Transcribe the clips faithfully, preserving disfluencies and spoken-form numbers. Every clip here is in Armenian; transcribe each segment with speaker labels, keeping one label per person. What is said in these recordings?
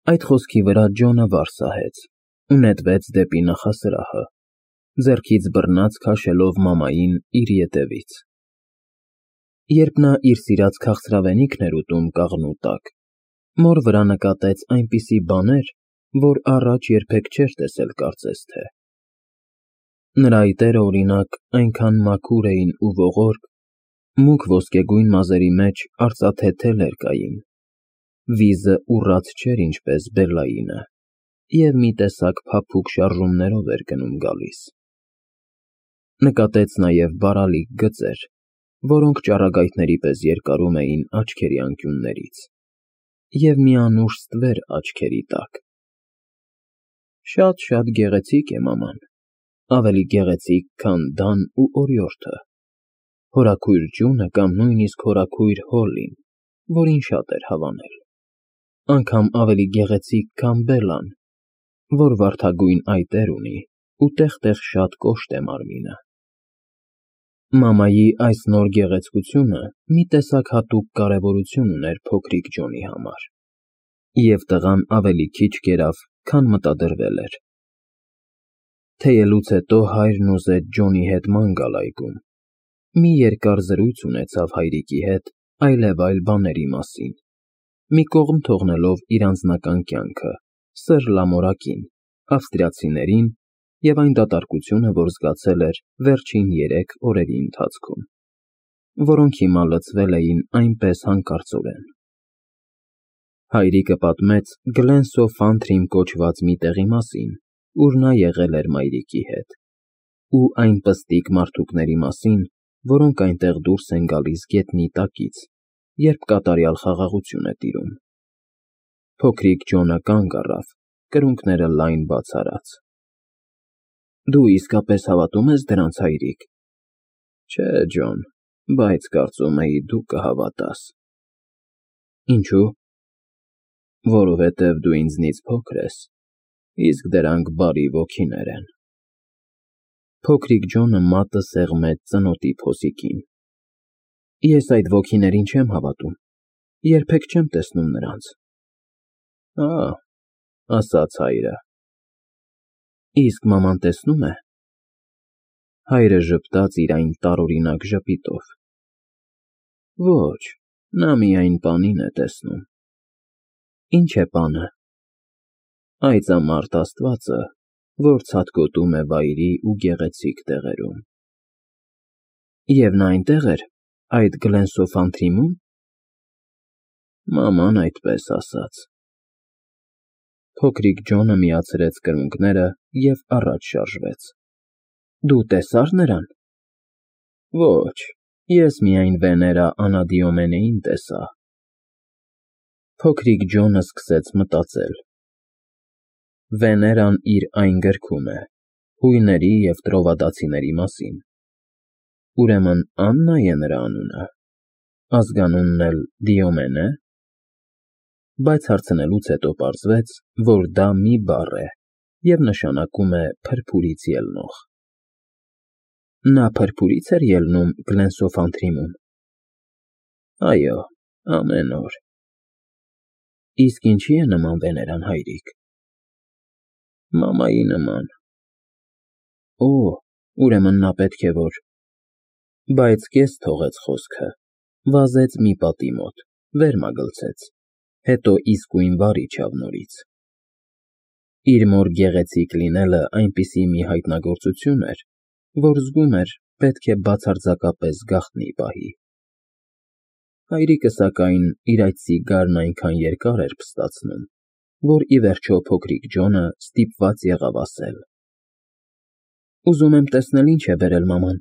Speaker 1: Այդ խոսքի վրա Ջոնը վար սահեց ու նետվեց դեպի նախասրահը, ձեռքից բռնած քաշելով մամային իր ետևից։ Երբ նա իր սիրած քաղցրավենիքն էր ուտում կաղնու տակ, մոր վրա նկատեց այնպիսի բաներ, որ առաջ երբեք չէր տեսել կարծես թե։ Նրա այտերը, օրինակ, այնքան մաքուր էին ու ողորկ, մուգ ոսկեգույն մազերի մեջ արծաթե թելեր կային, վիզը ուռած չէր ինչպես Բելլայինը, և մի տեսակ փափուկ շարժումներով էր գնում֊գալիս։ Նկատեց նաև բարալիկ գծեր, որոնք ճառագայթների պես երկարում էին աչքերի անկյուններից, և մի անուշ ստվեր աչքերի տակ։ Շատ-շատ գեղեցիկ է մաման, ավելի գեղեցիկ, քան Դան ու օրիորդը, հորաքույր Ջունը կամ նույնիսկ հորաքույր Հոլլին, որին շատ էր հավանել, անգամ ավելի գեղեցիկ, քան Բելլան, որ վարդագույն այտեր ունի ու տեղ֊տեղ շատ կոշտ է մարմինը։ Մամայի այս նոր գեղեցկությունը մի տեսակ հատուկ կարևորություն ուներ փոքրիկ Ջոնի համար, և տղան ավելի քիչ կերավ, քան մտադրվել էր։ Թեյելուց հետո հայրն ուզեց Ջոնի հետ ման գալ այգում, մի երկար զրույց ունեցավ հայրիկի հետ այլևայլ բաների մասին, մի կողմ թողնելով իր անձնական կյանքը, սըր֊լամորակին, ավստրիացիներին և այն դատարկությունը, որ զգացել էր վերջին երեք օրերի ընթացքում, որոնք հիմա լցվել էին այնպես հանկարծորեն։ Հայրիկը պատմեց Գլենսոֆանթրիմ կոչված մի տեղի մասին, ուր նա եղել էր մայրիկի հետ, ու այն պստիկ մարդուկների մասին, որոնք այնտեղ դուրս են գալիս գետնի տակից, երբ կատարյալ խաղաղություն է տիրում։ Փոքրիկ Ջոնը կանգ առավ, կրունկները լայն բաց արած։ Դու իսկապես հավատում ես դրանց, հայրիկ։ Չէ, Ջոն, բայց կարծում էի դու կհավատաս։ Ինչու՞։ Որովհետև դու ինձնից փոքր ես, իսկ դրանք բարի ոգիներ են։ Փոքրիկ Ջոնը մատը սեղմեց ծնոտի փոսիկին։ Ես այդ ոգիներին չեմ հավատում, երբեք չեմ տեսնում նրանց։ Ա՜, ասաց հայրը։ Իսկ մաման տեսնո՞ւմ է։ Հայրը ժպտաց իր այն տարօրինակ ժպիտով։ Ոչ, նա միայն պանին է տեսնում։ Ինչ է պանը։ Այծամարդ աստվածը, որ ցատկոտում է վայրի ու գեղեցիկ տեղերում։ Եվ նա այնտեղ էր, այդ Գլենսոֆանթրիմում։ Մաման այդպես ասաց։ Փոքրիկ Ջոնը միացրեց կրունկները և առաջ շարժվեց։ Դու տեսա՞ր նրան։ Ոչ, ես միայն Վեներա Անադիոմենեին տեսա։ Փոքրիկ Ջոնը սկսեց մտածել։ Վեներան իր այն գրքում է, հույների և տրովադացիների մասին։ Ուրեմն Աննա է նրա անունը, ազգանունն էլ Դիոմեն է։ Բայց հարցնելուց հետո պարզվեց, որ դա մի բառ է և նշանակում է փրփուրից ելնող։ Նա փրփուրի՞ց էր ելնում Գլենսոֆանթրիմում։ Այո, ամեն օր։ Իսկ ինչի է նման Վեներան, հայրիկ։ Մամայի նման։ Օ, ուրեմն նա պետք է որ… Բայց կես թողեց խոսքը, վազեց մի պատի մոտ, վեր մագլցեց, հետո իսկույն վար իջավ նորից։ Իր մոր գեղեցիկ լինելը այնպիսի մի հայտնագործություն էր, որ զգում էր, պետք է բացարձակապես գաղտնի պահի։ Հայրիկը, սակայն, իր այդ սիգարն այնքան երկար էր փստացնում, որ ի վերջո փոքրիկ Ջոնը ստիպված եղավ ասել. Ուզում եմ տեսնել ինչ է բերել մաման,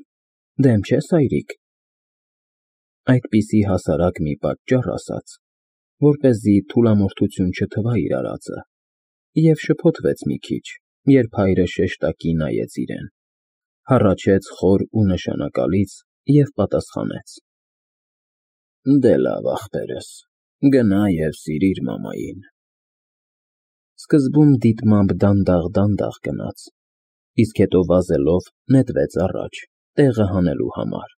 Speaker 1: դեմ չես, հայրիկ։ Այդպիսի հասարակ մի պատճառ ասաց, որպեսզի թուլամորթություն չթվա իր արածը, և շփոթվեց մի քիչ, երբ հայրը շեշտակի նայեց իրեն, հառաչեց խոր ու նշանակալից և պատասխանեց. Դե լավ, ախպերս, գնա և սիրիր մամային։ Սկզբում դիտմամբ դանդաղ֊դանդաղ գնաց, իսկ հետո վազելով նետվեց առաջ, տեղը հանելու համար։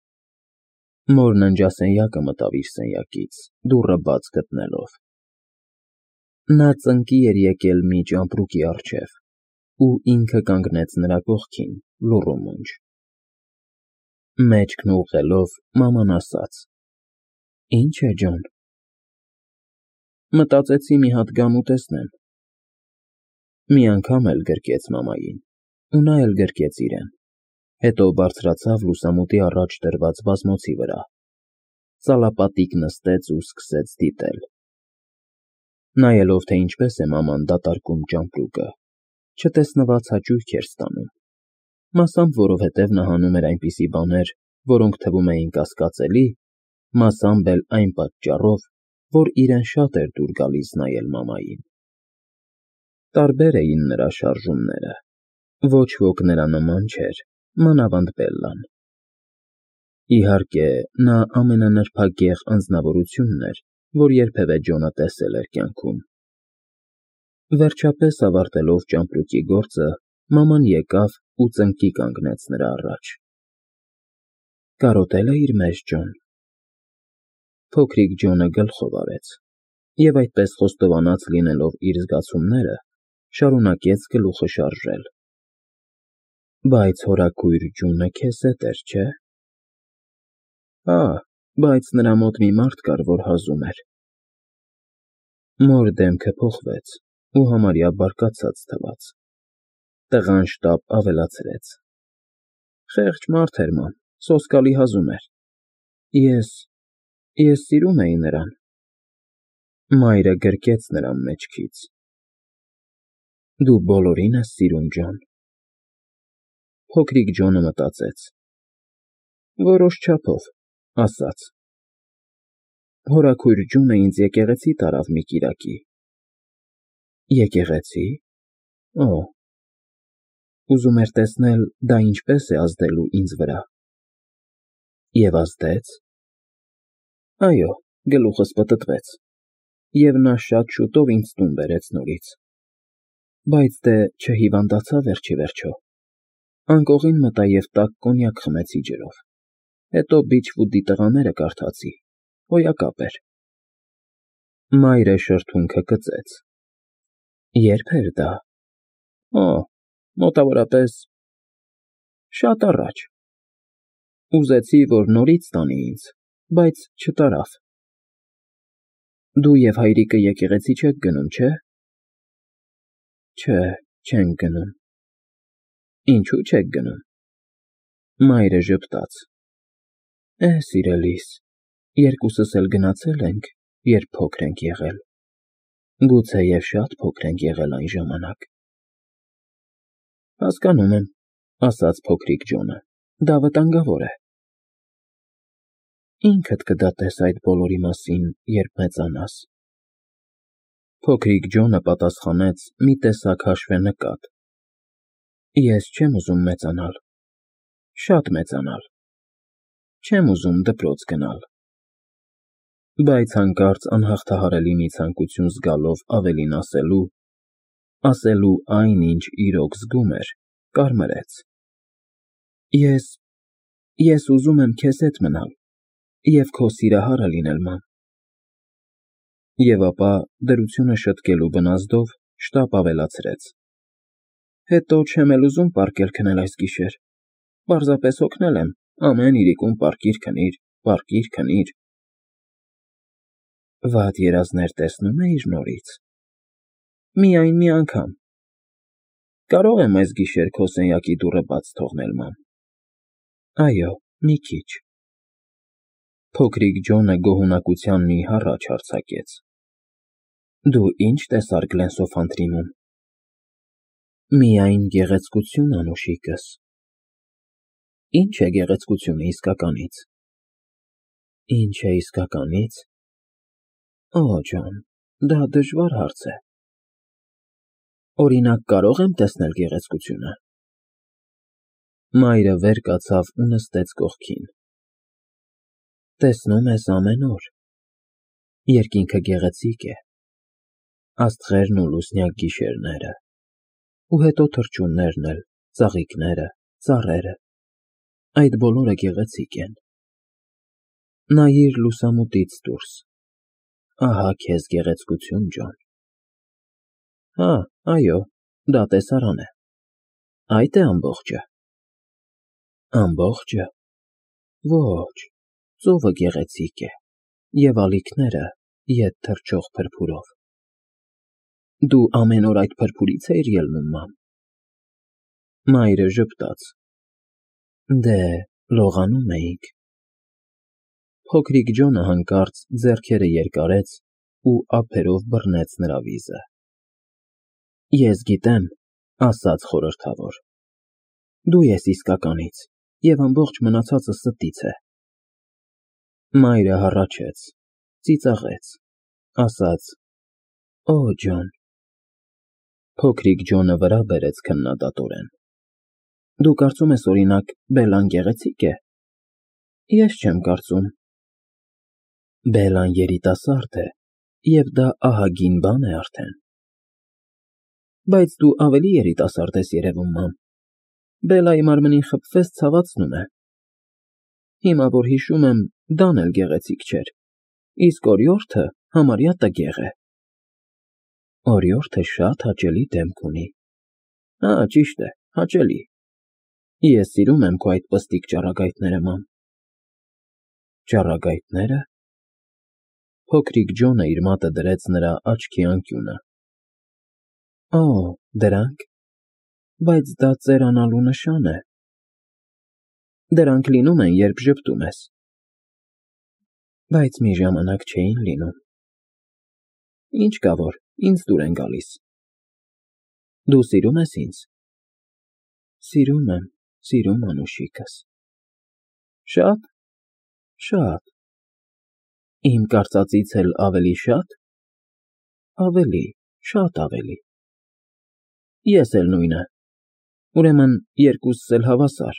Speaker 1: Մոր ննջասենյակը մտավ իր սենյակից, դուռը բաց գտնելով։ Նա ծնկի էր եկել մի ճամպրուկի առջև, ու ինքը կանգնեց նրա կողքին, լուռ ու մունջ։ Մեջքն ուղղելով, մաման ասաց. Ի՞նչ է, Ջոն։ Մտածեցի մի հատ գամ ուտեսնեմ։ Մի անգամ էլ գրկեց մամային, ու նա էլ գրկեց իրեն, հետո բարձրացավ լուսամուտի առաջ դրված բազմոցի վրա, ծալապատիկ նստեց ու սկսեց դիտել։ Նայելով, թե ինչպես է մաման դատարկում ճամպրուկը, չտեսնված հաճույք էր ստանում, մասամբ որովհետև նա հանում էր այնպիսի բաներ, որոնք թվում էին կասկածելի, մասամբ էլ այն պատճառով, որ իրեն շատ էր դուր գալիս նայել մամային։ Տարբեր էին նրա շարժումները, ոչ ոք նրա նման չէր, մանավանդ Բելլան։ Իհարկե, նա ամենանրբագեղ անձնավորությունն էր, որ երբևէ Ջոնը տեսել էր կյանքում։ Վերջապես ավարտելով ճամպրուկի գործը, մաման եկավ ու ծնկի կանգնեց նրա առաջ։ Կարոտե՞լ է իր մեջ Ջոն։ Փոքրիկ Ջոնը գլխով արեց և այդպես խոստովանած լինելով իր զգացումները, շարունակեց գլուխը շարժել։ Բայց հորաքույր Ջունը քեզ հետ էր, չէ՞։ Հա, բայց նրա մոտ մի մարդ կար, որ հազում էր։ Մոր դեմքը փոխվեց ու համարյա բարկացած թվաց։ Տղան շտապ ավելացրեց. Խեղճ մարդ էր, ման, սոսկալի հազում էր։ Ես… ես սիրում էի նրան։ Մայրը գրկեց նրան մեջքից։ Դու բոլորին ես սիրում, Ջոն։ Փոքրիկ Ջոնը մտածեց. որոշ չափով, ասաց. Հորաքույր Ջունը ինձ եկեղեցի տարավ մի կիրակի։ Եկեղեցի։ Օ, ուզում էր տեսնել, դա ինչպես է ազդելու ինձ վրա։ Եվ ազդեց։ Այո, գլուխս պտտվեց, և նա շատ շուտով ինձ տուն բերեց նորից։ Բայց դե չհիվանդացա վերջիվերջո։ Անկողին մտա և տաք կոնյակ խմեցի ջրով, հետո Բիչվուդի տղաները կարդացի, հոյակապ էր։ Մայրը շրթունքը կծեց։ Ե՞րբ էր դա։ Օ, մոտավորապես… շատ առաջ։ Ուզեցի, որ նորից տանի ինձ, բայց չտարավ։ Դու և հայրիկը եկեղեցի չեք գնում, չէ։ Չէ, չենք գնում։ Ինչու՞ չեք գնում։ Մայրը ժպտաց։ Է, սիրելիս, երկուսս էլ գնացել ենք, երբ փոքր ենք եղել։ Գուցեև շատ փոքր ենք եղել այն ժամանակ։ Հասկանում եմ, ասաց փոքրիկ Ջոնը, դա վտանգավոր է։ Ինքդ կդատես այդ բոլորի մասին, երբ մեծանաս։ Փոքրիկ Ջոնը պատասխանեց մի տեսակ հաշվենկատ. Ես չեմ ուզում մեծանալ, շատ մեծանալ, չեմ ուզում դպրոց գնալ։ Բայց հանկարծ անհաղթահարելի մի ցանկություն զգալով ավելին ասելու, ասելու այն, ինչ իրոք զգում էր, կարմրեց. Ես… ես ուզում եմ քեզ հետ մնալ և քո սիրահարը լինել, ման։ Եվ ապա, դրությունը շտկելու բնազդով, շտապ ավելացրեց. Հետո չեմ էլ ուզում պառկել քնել այս գիշեր, պարզապես հոգնել եմ, ամեն իրիկուն պառկիր քնիր, պառկիր քնիր։ Վատ երազներ տեսնո՞ւմ էիր նորից։ Միայն մի անգամ։ Կարո՞ղ եմ այս գիշեր քո սենյակի դուռը բաց թողնել, ման։ Այո, մի քիչ։ Փոքրիկ Ջոնը գոհունակության մի հառաչ արձակեց։ Դու ի՞նչ տեսար Գլենսոֆանտրիմում։ Միայն գեղեցկություն, անուշիկս։ Ի՞նչ է գեղեցկությունը իսկականից։ Ի՞նչ է իսկականից։ Օ, Ջոն, դա դժվար հարց է։ Օրինակ, կարո՞ղ եմ տեսնել գեղեցկությունը։ Մայրը վեր կացավ ու նստեց կողքին։ Տեսնում ես ամեն օր։ Երկինքը գեղեցիկ է, աստղերն ու լուսնյակ գիշերները, ու հետո թռչուններն էլ, ծաղիկները, ծառերը, այդ բոլորը գեղեցիկ են։ Նայիր լուսամուտից դուրս, ահա քեզ գեղեցկություն, Ջոն։ Հա, այո, դա տեսարան է։ Այդ է ամբողջը։ Ամբողջը։ Ոչ, ծովը գեղեցիկ է, և ալիքները ետ թռչող փրփուրով։ Դու ամեն օր այդ փրփուրից էիր ելնում, մամ։ Մայրը ժպտաց։ Դե, լողանում էինք։ Փոքրիկ Ջոնը հանկարծ ձեռքերը երկարեց ու ափերով բռնեց նրա վիզը։ Ես գիտեմ, ասաց խորհրդավոր, դու ես իսկականից, և ամբողջ մնացածը ստից է։ Մայրը հառաչեց, ծիծաղեց, ասաց. Օ, Ջոն։ Փոքրիկ Ջոնը վրա բերեց քննադատորեն։ Դու կարծում ես, օրինակ, Բելլան գեղեցիկ է։ Ես չեմ կարծում։ Բելլան երիտասարդ է, և դա ահագին բան է արդեն։ Բայց դու ավելի երիտասարդ ես երևում, մամ։ Բելլայի մարմնին խփվես, ցավացնում է։ Հիմա որ հիշում եմ, Դան էլ գեղեցիկ չէր, իսկ օրիորդը համարյա տգեղ է։ Օրիորդը շատ հաճելի դեմք ունի։ Հա, ճիշտ է, հաճելի։ Ես սիրում եմ քո այդ պստիկ ճառագայթները, մամ։ Ճառագայթնե՞րը։ Փոքրիկ Ջոնը իր մատը դրեց նրա աչքի անկյունը։ Օ, դրանք։ Բայց դա ծերանալու նշան է։ Դրանք լինում են, երբ ժպտում ես։ Բայց մի ժամանակ չէին լինում։ Ինչ կա որ, ինձ դուր են գալիս։ Դու սիրում ես ինձ։ Սիրում եմ, սիրում անուշիկս։ Շա՞տ։ Շատ։ Իմ կարծածից էլ ավելի շատ։ Ավելի, շատ ավելի։ Ես էլ նույնը։ Ուրեմն երկուսս էլ հավասար։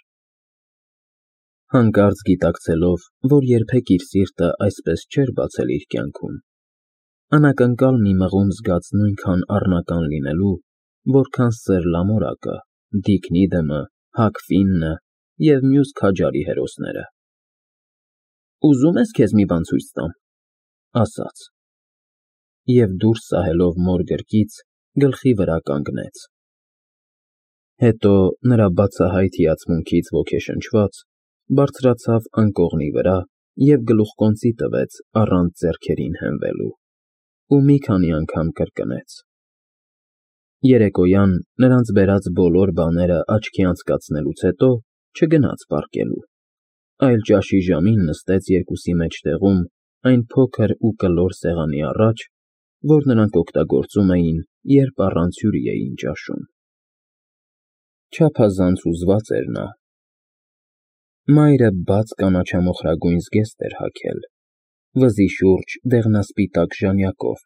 Speaker 1: Հանկարծ գիտակցելով, որ երբեք իր սիրտը այսպես չէր բացել իր կյանքում, անակնկալ մի մղում զգաց նույնքան առնական լինելու, որքան Սերլամորակը, Դիքնիդեմը, Հակ Ֆիննը և մյուս քաջարի հերոսները։ Ուզում ես քեզ մի բան ցույց տամ, ասաց, և դուրս սահելով մոր գրկից, գլխի վրա կանգնեց։ Հետո նրա բացահայտ հիացմունքից ոգեշնչված, բարձրացավ անկողնի վրա և գլուխկոնծի տվեց առանց ձեռքերին հենվելու, ու մի քանի անգամ կրկնեց։ Երեկոյան նրանց բերած բոլոր բաները աչքի անցկացնելուց հետո չգնաց պառկելու, այլ ճաշի ժամին նստեց երկուսի մեջտեղում այն փոքր ու կլոր սեղանի առաջ, որ նրանք օգտագործում էին, երբ առանց հյուրի էին ճաշում։ Չափազանց հուզված էր նա։ Մայրը բաց կանաչամոխրագույն զգեստ էր հագել, վզի շուրջ դեղնասպիտակ ժանյակով,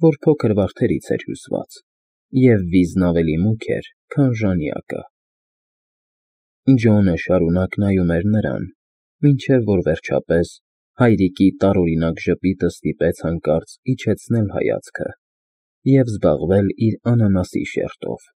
Speaker 1: որ փոքր վարդերից էր հյուսված, և վիզն ավելի մուգ էր, քան ժանյակը։ Ջոնը շարունակ նայում էր նրան, մինչև որ վերջապես հայրիկի տարօրինակ ժպիտը ստիպեց հանկարծ իջեցնել հայացքը և զբաղվել իր անանասի շերտով։